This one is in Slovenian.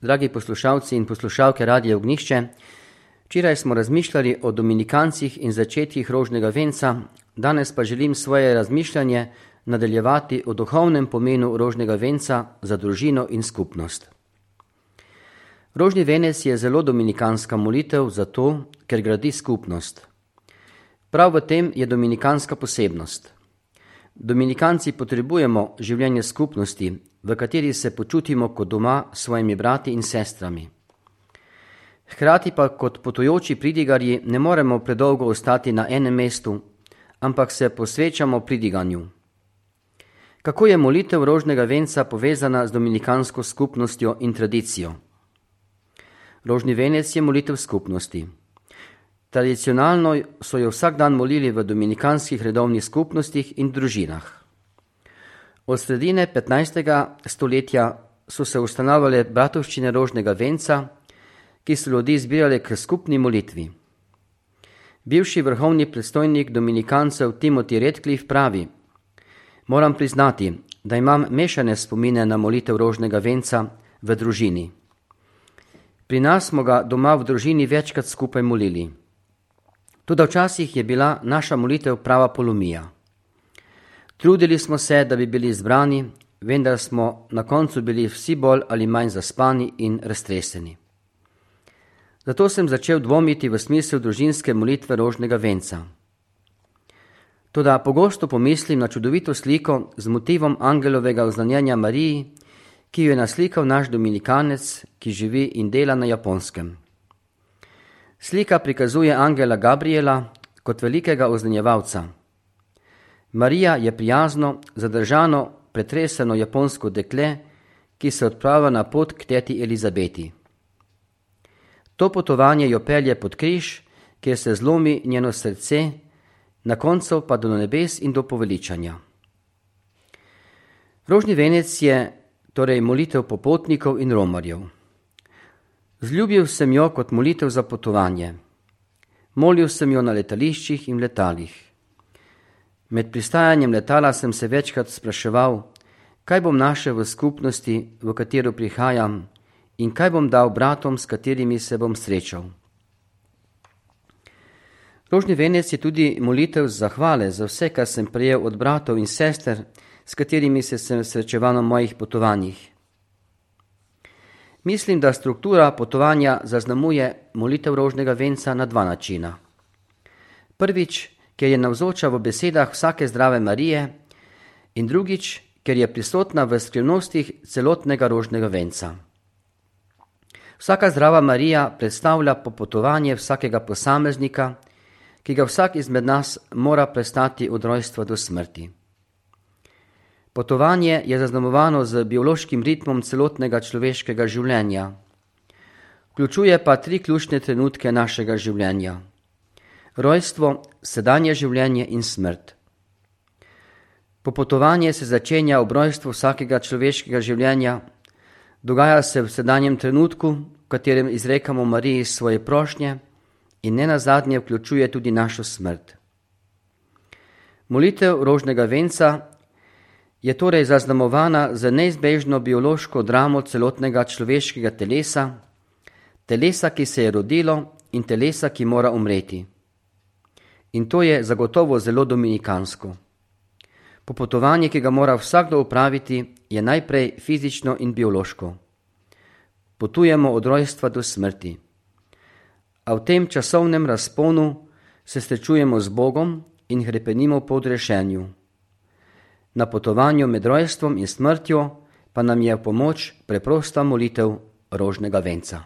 Dragi poslušalci in poslušalke Radia Ognjišče, včeraj smo razmišljali o dominikancih in začetkih rožnega venca, danes pa želim svoje razmišljanje nadaljevati o duhovnem pomenu rožnega venca za družino in skupnost. Rožni venec je zelo dominikanska molitev zato, ker gradi skupnost. Prav v tem je dominikanska posebnost. Dominikanci potrebujemo življenje skupnosti, v kateri se počutimo kot doma s svojimi brati in sestrami. Hkrati pa kot potujoči pridigarji ne moremo predolgo ostati na enem mestu, ampak se posvečamo pridiganju. Kako je molitev rožnega venca povezana z dominikansko skupnostjo in tradicijo? Rožni venec je molitev skupnosti. Tradicionalno so jo vsak dan molili v dominikanskih redovnih skupnostih in družinah. Od sredine 15. stoletja so se ustanavljale bratovščine rožnega venca, ki so ljudi zbirale k skupni molitvi. Bivši vrhovni predstojnik dominikancev Timothy Redcliffe pravi: "Moram priznati, da imam mešane spomine na molitev rožnega venca v družini. Pri nas smo ga doma v družini večkrat skupaj molili. Toda včasih je bila naša molitev prava polomija. Trudili smo se, da bi bili zbrani, vendar smo na koncu bili vsi bolj ali manj zaspani in raztreseni. Zato sem začel dvomiti v smisel družinske molitve rožnega venca. Toda pogosto pomislim na čudovito sliko z motivom angelovega oznanjenja Mariji, ki jo je naslikal naš dominikanec, ki živi in dela na Japonskem. Slika prikazuje angela Gabriela kot velikega oznanjevalca. Marija je prijazno, zadržano, pretreseno japonsko dekle, ki se odpravlja na pot k teti Elizabeti. To potovanje jo pelje pod križ, kjer se zlomi njeno srce, na koncu pa do nebes in do poveličanja. Rožni venec je torej molitev popotnikov in romarjev. Zljubil sem jo kot molitev za potovanje. Molil sem jo na letališčih in letalih. Med pristajanjem letala sem se večkrat spraševal, kaj bom našel v skupnosti, v katero prihajam, in kaj bom dal bratom, s katerimi se bom srečal. Rožni venec je tudi molitev zahvale za vse, kar sem prejel od bratov in sester, s katerimi se sem srečeval na mojih potovanjih. Mislim, da struktura potovanja zaznamuje molitev rožnega venca na dva načina. Prvič, ker je navzoča v besedah vsake zdrave Marije, in drugič, ker je prisotna v skrivnostih celotnega rožnega venca. Vsaka zdrava Marija predstavlja popotovanje vsakega posameznika, ki ga vsak izmed nas mora prestati od rojstva do smrti. Potovanje je zaznamovano z biološkim ritmom celotnega človeškega življenja. Vključuje pa 3 ključne trenutke našega življenja: rojstvo, sedanje življenje in smrt. Popotovanje se začenja ob rojstvu vsakega človeškega življenja, dogaja se v sedanjem trenutku, v katerem izrekamo Mariji svoje prošnje, in nenazadnje vključuje tudi našo smrt. Molitev rožnega venca je torej zaznamovana z neizbežno biološko dramo celotnega človeškega telesa, telesa, ki se je rodilo, in telesa, ki mora umreti. In to je zagotovo zelo dominikansko. Popotovanje, ki ga mora vsakdo opraviti, je najprej fizično in biološko. Potujemo od rojstva do smrti. A v tem časovnem razponu se srečujemo z Bogom in hrepenimo po odrešenju. Na potovanju med rojstvom in smrtjo pa nam je v pomoč preprosta molitev rožnega venca.